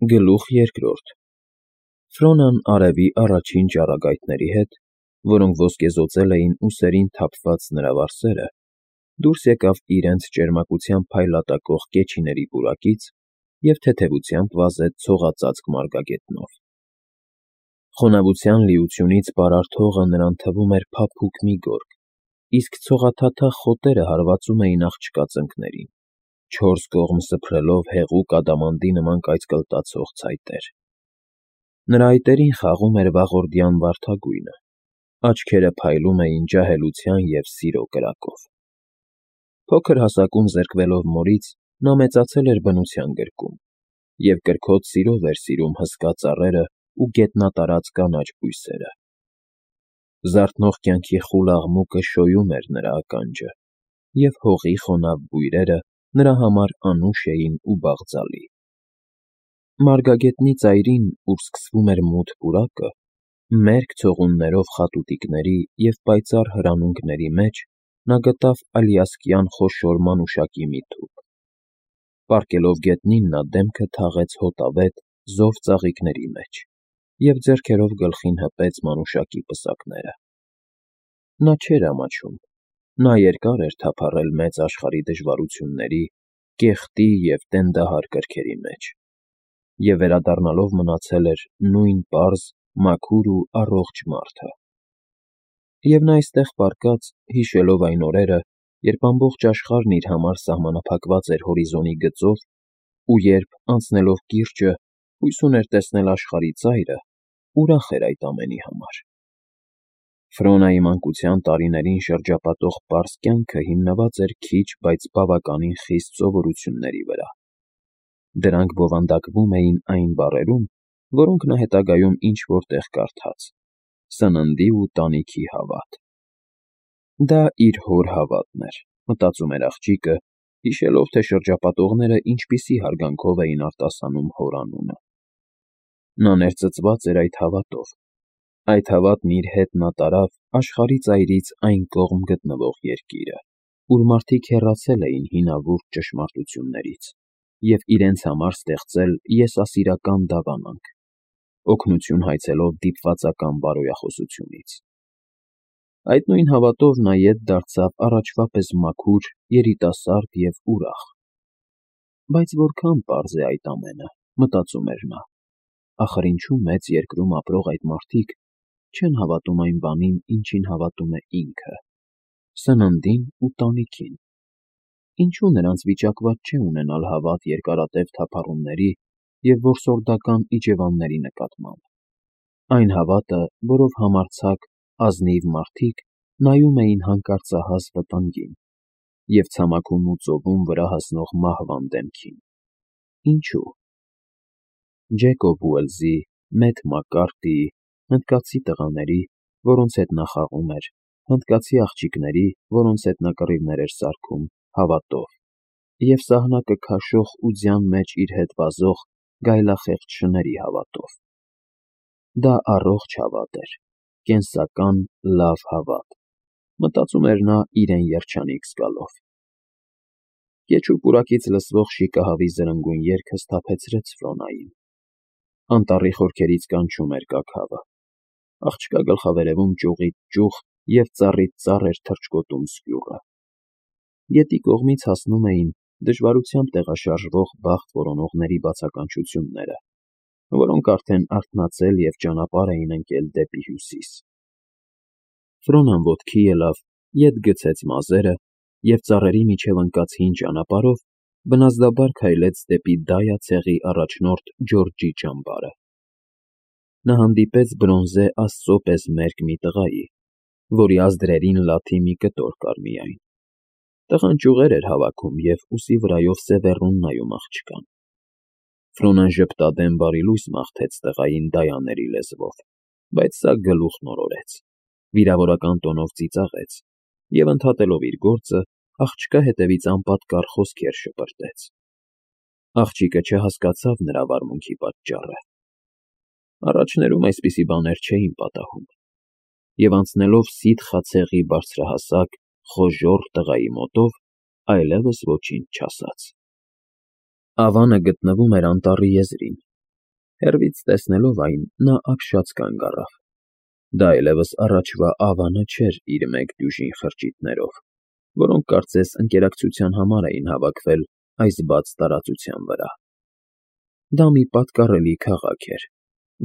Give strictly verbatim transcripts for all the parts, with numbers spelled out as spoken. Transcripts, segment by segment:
Գլուխ երկրորդ Ֆրոնան արևի առաջին ճառագայթների հետ, որոնք ոսկեզօծել էին ուսերին թափված նրա վարսերը, դուրս եկավ իրենց ճերմակությամբ փայլատակող կեչիների պուրակից և թեթևությամբ վազեց ցողածածկ մարգագետնով։ Խոնավության լիությունից պարարտ հողը նրան թվում էր փափուկ մի գորգ, իսկ ցողաթաթախ խոտերը հարվածում էին աղջկա ծնկներին, չորս կողմ սփռելով հեղուկ ադամանդի նման կայծկլտացող ցայտեր։ Նրա այտերին խաղում էր վաղորդյան վարդագույնը, աչքերը փայլում էին ջահելության և սիրո կրակով։ Փոքր հասակում զրկվելով մորից, նա մեծացել էր բնության գրկում և կրքոտ սիրով էր սիրում հսկա ծառերը ու գետնատարած կանաչ բույսերը։ Զարթնող կյանքի խուլ աղմուկը շոյում էր նրա ականջը, և հողի խոնավ բույրերը նրա համար անուշ էին ու բաղձալի։ Մարգագետնի ծայրին, ուր սկսվում էր մութ պուրակը, մերկ ցողուններով խատուտիկների և պայծառ հրանունքների մեջ նա գտավ ալիասկյան խոշոր մանուշակի մի թուփ։ Պառկելով գետնին, նա դեմքը թաղեց հոտավետ, զով ծաղիկների մեջ և ձեռքերով գլխին հպեց մանուշակի պսակները։ Նա չէր ամաչում, նա երկար էր թափառել մեծ աշխարհի դժվարությունների, կեղտի և տենդահար կրքերի մեջ, և վերադառնալով մնացել էր նույն պարզ, մաքուր ու առողջ մարդը։ Եվ նա այստեղ պառկած, հիշելով այն օրերը, երբ ամբողջ աշխարհն իր համար սահմանափակված էր հորիզոնի գծով, ու երբ, անցնելով կիրճը, հույս ուներ տեսնել աշխարհի ծայրը, ուրախ էր այդ ամենի համար։ Ֆրոնայի մանկության տարիներին շրջապատող պարզ կյանքը հիմնված էր քիչ, բայց բավականին խիստ սովորությունների վրա։ Դրանք բովանդակվում էին այն բառերում, որոնք նա հետագայում ինչ֊որ տեղ կարդաց. սննդի ու տանիքի հավատ։ Դա իր հոր հավատն էր, մտածում էր աղջիկը, հիշելով, թե շրջապատողները ինչպիսի հարգանքով էին արտասանում հոր անունը։ Նա ներծծված էր այդ հավատով։ Այդ հավատն իր հետ նա տարավ աշխարհի ծայրից այն կողմ գտնվող երկիրը, ուր մարդիկ հեռացել էին հինավուրց ճշմարտություններից և իրենց համար ստեղծել եսասիրական դավանանք, օգնություն հայցելով դիպվածական բարոյախոսությունից։ Այդ նույն հավատով նա ետ դարձավ առաջվա պես մաքուր, երիտասարդ և ուրախ։ Բայց որքան պարզ է այդ ամենը, մտածում էր նա, ախր ինչու մեծ երկրում ապրող այդ մարդիկ չեն հավատում այն բանին, ինչին հավատում է ինքը՝ սննդին ու տանիքին։ Ինչու նրանց վիճակված չէ ունենալ հավատ երկարատև թափառումների և որսորդական իջևանների նկատմամբ, այն հավատը, որով համարձակ, ազնիվ մարդիկ նայում էին հանկարծահաս վտանգին և ցամաքում ու ծովում վրա հասնող մահվան դեմքին։ Ինչու՞։ Ջեկոբ Ուելսի, Մեթ Մակկարթիի, հնդկացի տղաների, որոնց հետ նա խաղում էր, հնդկացի աղջիկների, որոնց հետ նա կռիվներ էր սարքում, հավատով, և սահնակը քաշող ու ձյան մեջ իր հետ վազող գայլախեղճ շների հավատով։ Դա առողջ հավատ էր, կենսական, լավ հավատ, մտածում էր նա իրեն երջանիկ զգալով։ Կեչու պուրակից լսվող շիկահավի զրնգուն երգը սթափեցրեց Ֆրոնային։ Անտառի խորքերից կանչում էր կաքավը։ Աղջկա գլխավերևում ճյուղից ճյուղ և ծառից ծառ էր թռչկոտում սկյուռը։ Գետի կողմից հասնում էին դժվարությամբ տեղաշարժվող բախտ որոնողների բացականչությունները, որոնք արդեն արթնացել և ճանապարհ էին ընկել դեպի հյուսիս։ Ֆրոնան ոտքի ելավ, ետ գցեց մազերը և ծառերի միջև ընկած հին ճանապարհով բնազդաբար քայլեց դեպի Դայա ցեղի առաջնորդ Ջորջի ճամբարը։ Նա հանդիպեց բրոնզե աստծո պես մերկ մի տղայի, որի ազդրերին լաթի մի կտոր կար միայն։ Տղան ճյուղեր էր հավաքում և ուսի վրայով սևեռուն նայում աղջկան։ Ֆրոնան ժպտադեմ բարիլույս մաղթեց տղային դայաների լեզվով, բայց սա գլուխ մորորեց, վիրավորական տոնով ծիծաղեց և, ընդհատելով իր գործը, աղջկա հետևից անպատկառ խոսքեր շպրտեց։ Աղջիկը չհասկացավ նրա վարմունքի պատճառը։ Առաջներում այսպիսի բաներ չէին պատահում, և անցնելով սիթխա ցեղի բարձրահասակ, խոժոռ տղայի մոտով, այլևս ոչինչ չասաց։ Ավանը գտնվում էր անտառի եզրին, Հեռվից տեսնելով այն, նա ապշած կանգ առավ. դա այլևս առաջվա Ավանը չէր իր մեկ դյուժին խրճիթներով, որոնք կարծես ընկերակցության համար էին հավաքվել այս բաց տարածության վրա. դա մի պատկառելի քաղաք էր,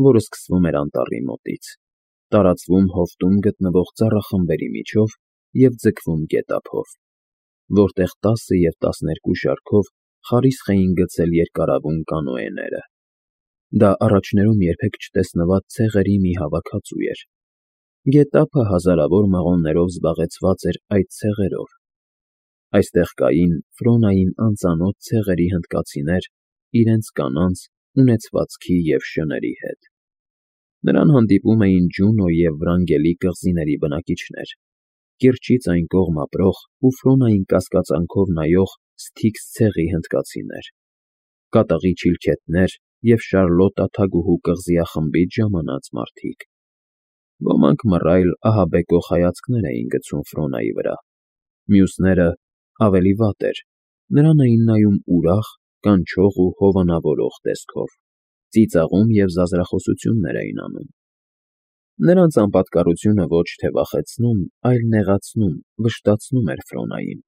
որը սկսվում էր անտառի մոտից, տարածվում հովտում գտնվող ծառախմբերի միջով և ձգվում գետափով, որտեղ տասը և տասներկու շարքով խարիսխ էին գցել երկարավուն կանոեները. դա առաջներում երբեք չտեսնված ցեղերի մի հավաքածու էր. գետափը հազարավոր մղոններով զբաղեցված էր այդ ցեղերով. այստեղ կային Ֆրոնային անծանոթ ցեղերի հնդկացիներ իրենց կանանց, ունեցվածքի և շների հետ. նրան հանդիպում էին Ջունո և Վրանգելի կղզիների բնակիչներ, կիրճից այն կողմ ապրող ու Ֆրոնային կասկածանքով նայող Սթիքս ցեղի հնդկացիներ, կատաղի չիլքեթներ և Շարլոտա թագուհու կղզիախմբից ժամանած մարդիկ. ոմանք մռայլ ահաբեկող հայացքներ էին գցում Ֆրոնայի վրա, մյուսները, ավելի վատ էր, նրան էին նայում ուրախ, կանչող ու հովանավորող տեսքով, ծիծաղում և զազրախոսություններ էին անում. նրանց անպատկառությունը ոչ թե վախեցնում, այլ նեղացնում, վշտացնում էր Ֆրոնային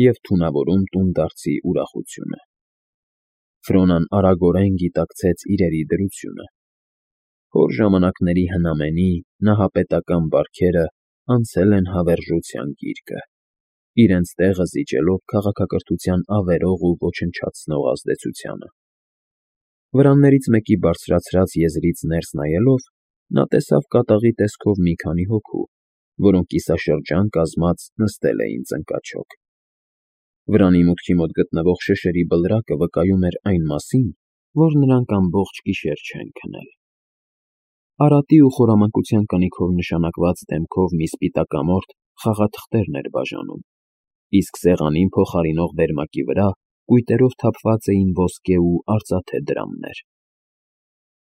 և թունավորում տունդարձի ուրախությունը. Ֆրոնան արագորեն գիտակցեց իրերի դրությունը. հոր ժամանակների հնամենի, նահապետական բարքերը անցել են հավերժության գիրկը, իրենց տեղը զիջելով քաղաքակրթության ավերող ու ոչնչացնող ազդեցությանը. վրաններից մեկի բարձրացրած եզրից ներս նայելով, նա տեսավ կատաղի տեսքով մի քանի հոգու, որոնք կիսաշրջան կազմած նստել էին ծնկաչոք. վրանի մուտքի մոտ գտնվող շշերի բլրակը վկայում էր այն մասին, որ նրանք ամբողջ գիշեր չեն քնել. Արատի ու խորամանկության կնիքով նշանակված դեմքով մի սպիտակամորթ խաղաթղթերն էր բաժանում, իսկ սեղանին փոխարինող վերմակի վրա կույտերով թափված էին ոսկե ու արծաթե դրամներ.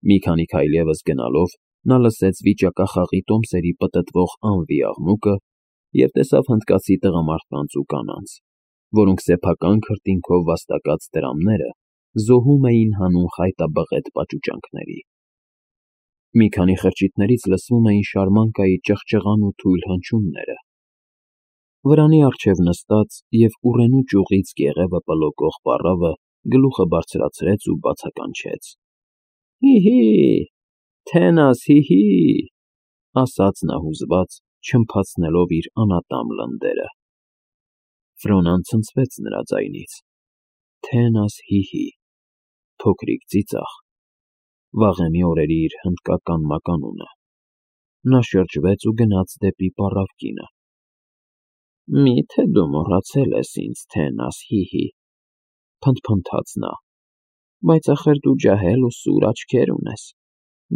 մի քանի քայլ ևս գնալով նա լսեց վիճակախաղի տոմսերի պտտվող անվի աղմուկը և տեսավ հնդկացի տղամարդկանց ու կանանց, որոնք սեփական քրտինքով վաստակած դրամները զոհում էին հանուն խայտաբղետ պաճուճանքների. մի քանի խրճիթներից լսվում էին շարմանկայի ճղճղան ու թույլ հնչյունները. վրանի առջև նստած և ուռենու ճյուղից կեղևը պլոկող պառավը գլուխը բարձրացրեց ու բացականչեց. «Հի՛֊հի՛, Թենաս, հի՛֊հի՛», ասաց նա հուզված, չլմփացնելով իր անատամ լնդերը. Ֆրոնան ցնցվեց նրա ձայնից. «Թենաս, հի՛֊հի», փոքրիկ ծիծաղ, վաղեմի օրերի իր հնդկական մականունը. նա շրջվեց ու գնաց դեպի պառավկինը. «Մի՞թե դու մոռացել ես ինձ, Թենաս, հի՛֊հի», փնթփնթաց նա, «բայց ախր դու ջահել ու սուր աչքեր ունես,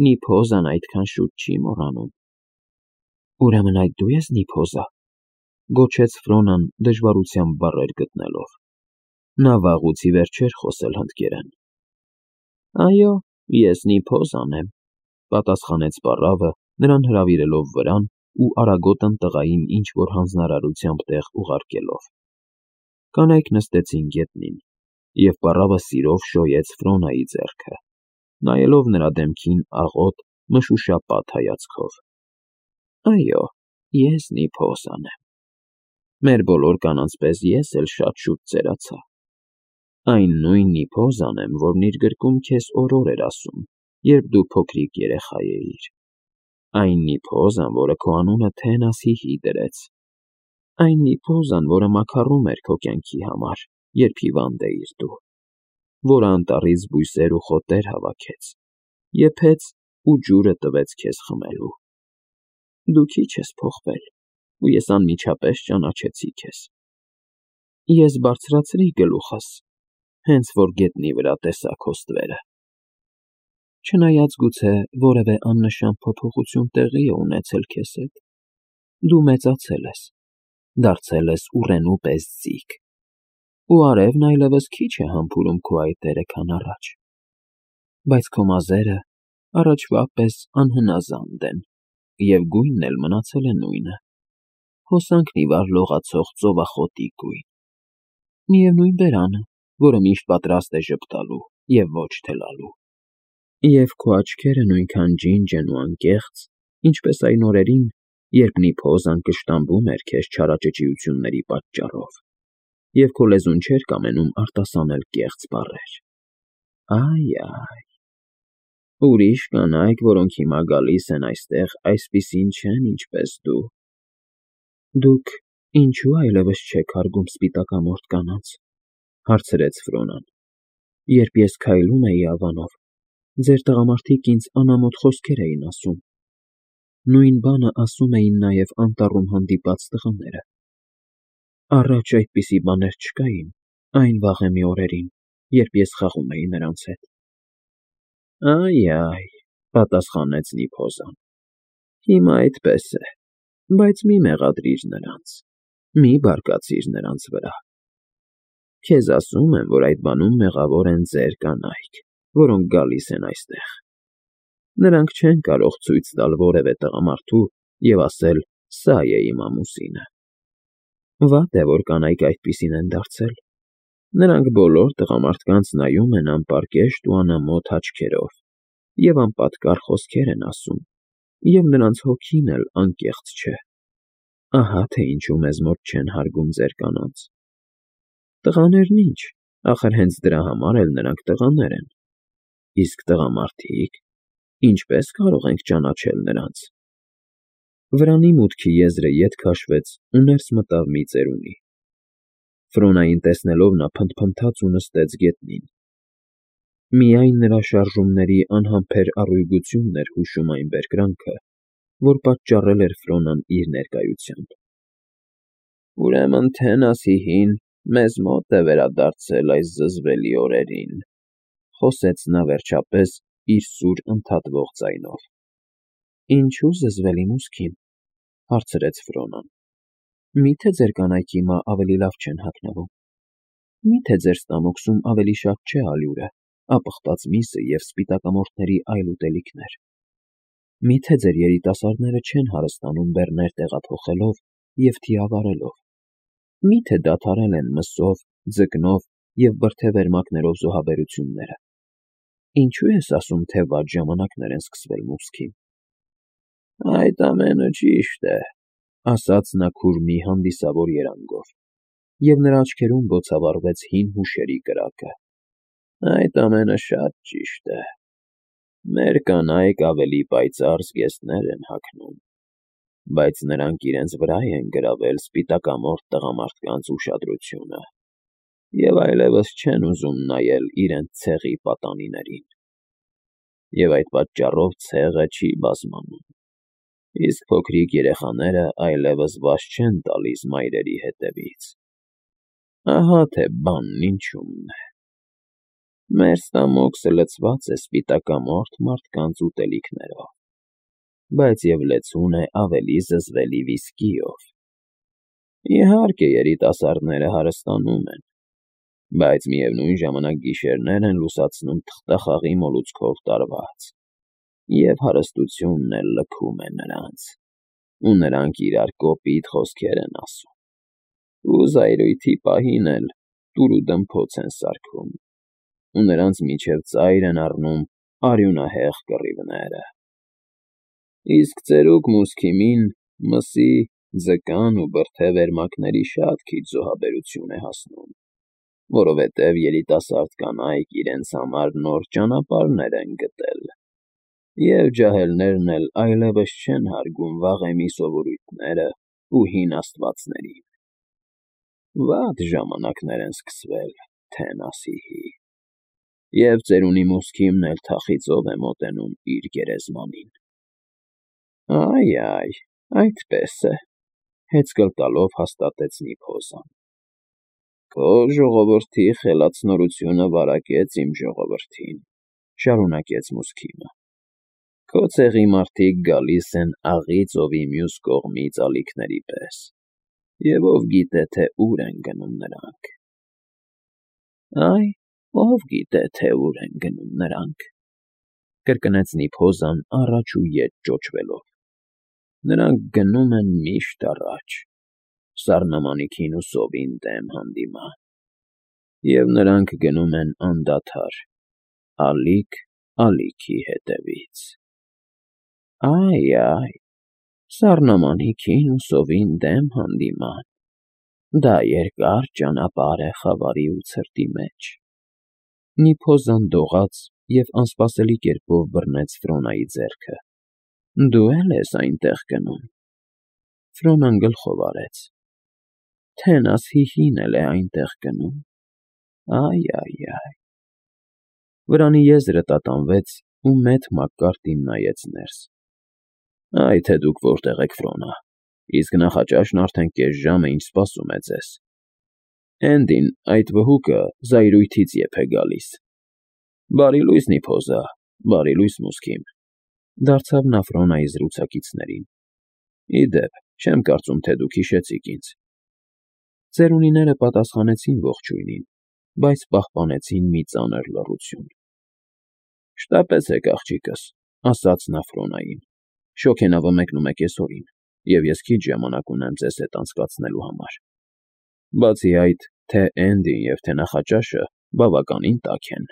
Նիփոզան այդքան շուտ չի մոռանում»։ «Ուրեմն այդ դու ես Նիփոզը», գոչեց Ֆրոնան դժվարությամբ բառեր գտնելով. նա վաղուց ի վեր չէր խոսել հնդկերեն. «Այո, ես Նիփոզան եմ», պատասխանեց պառավը, նրան հրավիրելով վրան ու արագոտն տղային ինչ-որ հանձնարարությամբ տեղ ուղարկելով. կանայք նստեցին գետնին, և պառավը սիրով շոյեց Ֆրոնայի ձեռքը, նայելով նրա դեմքին աղոտ, մշուշապատ հայացքով. «Այո, ես Նիփոզան եմ, մեր բոլոր կանանց պես ես էլ շատ շուտ ծերացա, այն նույն Նիփոզան եմ, որն իր գրկում քեզ օրոր էր ասում, երբ դու փոքրիկ երեխա էիր, այն Նիփոզան, որը քո անունը Թենաս հի՛֊հի դրեց, այն Նիփոզան, որը մաքարում էր քո կյանքի համար, երբ հիվանդ էիր դու, որը անտառից բույսեր ու խոտեր հավաքեց, եփեց ու ջուրը տվեց քեզ խմելու։ Դու քիչ ես փոխվել, ու ես անմիջապես ճանաչեցի քեզ։ Ես բարձրացրի գլուխս, հենց որ գետնի վրա տեսա քո ստվերը։ Չնայած գուցե որևէ աննշան փոփոխություն տեղի է ունեցել քեզ հետ, դու մեծացել ես, դարձել ես ուռենու պես ձիգ, ու արևն այլևս քիչ է համբուրում քո այտերը, քան առաջ, բայց քո մազերը առաջվա պես անհնազանդ են, և գույնն էլ մնացել է նույնը, հոսանքն ի վար լողացող ծովախոտի գույն, միևնույն բերանը, որը միշտ պատրաստ է ժպտալու և ոչ թելալու։ Եվ քո աչքերը նույնքան ջինջ են ու անկեղծ, ինչպես այն օրերին, երբ Նիփոզան կշտամբում էր քեզ չարաճճիությունների պատճառով, և քո լեզուն չէր կամենում արտասանել կեղծ բառեր։ Այ֊այ, ուրիշ կանայք, որոնք հիմա գալիս են այստեղ, այսպիսին չեն, ինչպես դու։ Դուք ինչո՞ւ այլևս չեք հարգում սպիտակամորթ կանանց, հարցրեց Ֆրոնան։ Երբ ես քայլում էի ավանով, ձեր տղամարդիկ ինձ անամոթ խոսքեր էին ասում։ Նույն բանը ասում էին նաև անտառում հանդիպած տղաները։ Առաջ այդպիսի բաներ չկային այն վաղեմի օրերին, երբ ես խաղում էի նրանց հետ։ Այ֊այ, պատասխանեց Նիփոզան, հիմա այդպես է, բայց մի մեղադրիր նրանց, մի բարկացիր նրանց վրա։ Քեզ ասում եմ, որ այդ բանում մեղավոր են ձեր կանայք, որոնք գալիս են այստեղ։ Նրանք չեն կարող ցույց տալ որևէ տղամարդու և ասել. «Սա է իմ ամուսինը»։ Վատ է, որ կանայք այդպիսին են դարձել։ Նրանք բոլոր տղամարդկանց նայում են անպարկեշտ ու անամոթ աչքերով և անպատկառ խոսքեր են ասում, և նրանց հոգին էլ անկեղծ չէ։ Ահա թե ինչու մեզ մոտ չեն հարգում ձեր կանանց։ Տղաներն ինչ, ախր հենց դրա համար էլ նրանք տղաներ են։ Իսկ տղամարդիկ, ինչպե՞ս կարող ենք ճանաչել նրանց։ Վրանի մուտքի եզրը ետ քաշվեց ու ներս մտավ մի ծերունի։ Ֆրոնային տեսնելով նա փնթփնթաց ու նստեց գետնին։ Միայն նրա շարժումների անհամբեր առույգությունն էր հուշում այն բերկրանքը, որ պատճառել էր Ֆրոնան իր ներկայությամբ։ Ուրեմն Թենասիհին մեզ մոտ է վերադարձել այս զզվելի օրերին, խոսեց նա վերջապես իր սուր ընդհատվող ձայնով։ Ինչու զզվելի մուսքին, հարցրեց Ֆրոնան։ Մի՞թե ձեր կանայք հիմա ավելի լավ չեն հագնվում։ Մի՞թե ձեր ստամոքսում ավելի շատ չէ ալյուրը, ապխտած միսը և սպիտակամորթների այլ ուտելիքներ։ Մի՞թե ձեր երիտասարդները չեն հարստանում բեռներ տեղափոխելով և թիավարելով։ Մի՞թե դադարել են մսով, ձկնով և բրդե֊վերմակներով զոհաբերությունները։ Ինչո՞ւ ես ասում, թե վատ ժամանակներ են սկսվել մուսքին։ Այդ ամենը ճիշտ է, ասաց նա քուրմի հանդիսավոր երանգով, և նրա աչքերում բոցավառվեց հին հուշերի կրակը։ Այդ ամենը շատ ճիշտ է։ Մեր կանայք ավելի պայծառ զգեստներ են հագնում, բայց նրանք իրենց վրա են գրավել սպիտակամորթ տղամարդկանց ուշադրությունը և այլևս չեն ուզում նայել իրենց ցեղի պատանիներին։ Եվ այդ պատճառով ցեղը չի բազմանում, իսկ փոքրիկ երեխաները այլևս վազ չեն տալիս մայրերի հետևից։ Ահա թե բանն ինչումն է։ Մեր ստամոքսը լցված է սպիտակամորթ մարդկանց ուտելիքներով, բայց և լեցուն է ավելի զզվելի վիսկիով։ Իհարկե, երիտասարդները հարստանում են, բայց միևնույն ժամանակ գիշերներ են լուսացնում թղթախաղի մոլուցքով տարված, և հարստությունն էլ լքում է նրանց, ու նրանք իրար կոպիտ խոսքեր են ասում, ու զայրույթի պահին էլ տուր֊ու֊դմփոց են սարքում, ու նրանց միջև ծայր են առնում արյունահեղ կռիվները։ Իսկ ծերուկ Մուսքիմին մսի, ձկան ու բրդե֊վերմակների շատ քիչ զոհաբերություն է հասնում, որովհետև երիտասարդ կանայք իրենց համար նոր ճանապարհներ են գտել, և ջահելներն էլ այլևս չեն հարգում վաղեմի սովորույթներն ու հին աստվածներին։ Վատ ժամանակներ են սկսվել, Թենասիհի, և ծերունի Մուսքիմն էլ թախիծով է մոտենում իր գերեզմանին։ Այ֊այ, այդպես է, հեծկլ տալով հաստատեց Նիփոզան։ Քո ժողովրդի խելացնորությունը վարակեց իմ ժողովրդին, շարունակեց Մուսքիմը։ Քո ցեղի մարդիկ գալիս են աղի ծովի մյուս կողմից ալիքների պես, և ով գիտե, թե ուր են գնում նրանք։ Այ, ով գիտե, թե ուր են գնում նրանք, կրկնեց Նիփոզան առաջ ու ետ ճոճվելով։ Նրանք գնում են միշտ առաջ, սառնամանիքին ու սովին դեմ հանդիման, և նրանք գնում են անդադար, ալիք ալիքի հետևից։ Այ-այ, սառնամանիքին ու սովին դեմ հանդիման, դա երկար ճանապարհ է խավարի ու ցրտի մեջ։ Նիփոզան դողաց և անսպասելի կերպով բռնեց Ֆրոնայի ձեռքը։ Դու է՞լ ես այնտեղ գնում։ Ֆրոնան գլխով արեց։ Թենաս հիհին էլ է այնտեղ գնում։ Այ֊այ֊այ։ Վրանի եզրը տատանվեց, ու մեծ Մակկարտին նայեց ներս։ Այ թե դուք որտեղ եք, Ֆրոնա, իսկ նախաճաշն արդեն կես ժամ է, ինչ սպասում է ձեզ։ Էնդին, այդ վհուկը, զայրույթից եփ է գալիս։ Բարի լույս, Նիփոզա, բարի լույս, Մուսքիմ, դարձավ նա Ֆրոնայի զրուցակիցներին։ Ի դեպ, չեմ կարծում, թե դուք հիշեցիք ինձ։ Ծերունիները պատասխանեցին ողջույնին, բայց պահպանեցին մի ծանր լռություն։ Շտապեցեք, աղջիկս, ասաց նա Ֆրոնային, շոգենավը մեկնում է կեսօրին, և ես քիչ ժամանակ ունեմ ձեզ հետ անցկացնելու համար։ Բացի այդ, թե Էնդին և թե նախաճաշը բավականին տաք են։